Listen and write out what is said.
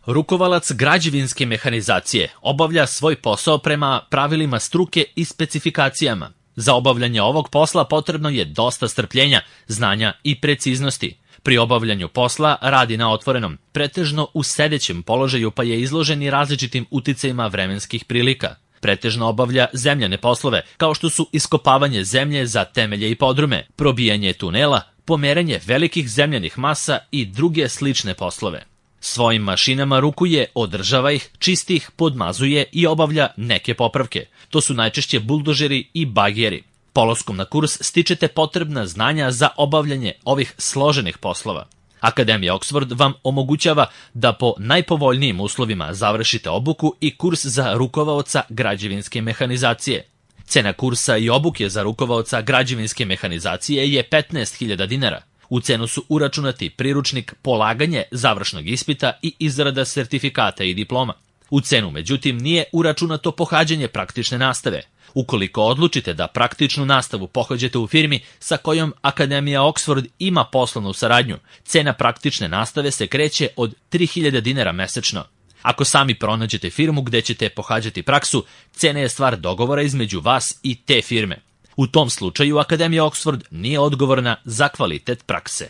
Rukovalac građevinske mehanizacije obavlja svoj posao prema pravilima struke i specifikacijama. Za obavljanje ovog posla potrebno je dosta strpljenja, znanja i preciznosti. Pri obavljanju posla radi na otvorenom, pretežno u sedećem položaju, pa je izložen i različitim uticajima vremenskih prilika. Pretežno obavlja zemljane poslove, kao što su iskopavanje zemlje za temelje i podrume, probijanje tunela, pomeranje velikih zemljanih masa i druge slične poslove. Svojim mašinama rukuje, održava ih, čisti ih, podmazuje i obavlja neke popravke. To su najčešće buldožeri i bageri. Polaskom na kurs stičete potrebna znanja za obavljanje ovih složenih poslova. Akademija Oxford vam omogućava da po najpovoljnijim uslovima završite obuku i kurs za rukovaoca građevinske mehanizacije. Cena kursa i obuke za rukovaoca građevinske mehanizacije je 15.000 dinara. U cenu su uračunati priručnik, polaganje završnog ispita i izrada sertifikata i diploma. U cenu, međutim, nije uračunato pohađanje praktične nastave. Ukoliko odlučite da praktičnu nastavu pohađate u firmi sa kojom Akademija Oxford ima poslovnu saradnju, cena praktične nastave se kreće od 3.000 dinara mesečno. Ako sami pronađete firmu gde ćete pohađati praksu, cena je stvar dogovora između vas i te firme. U tom slučaju Akademija Oxford nije odgovorna za kvalitet prakse.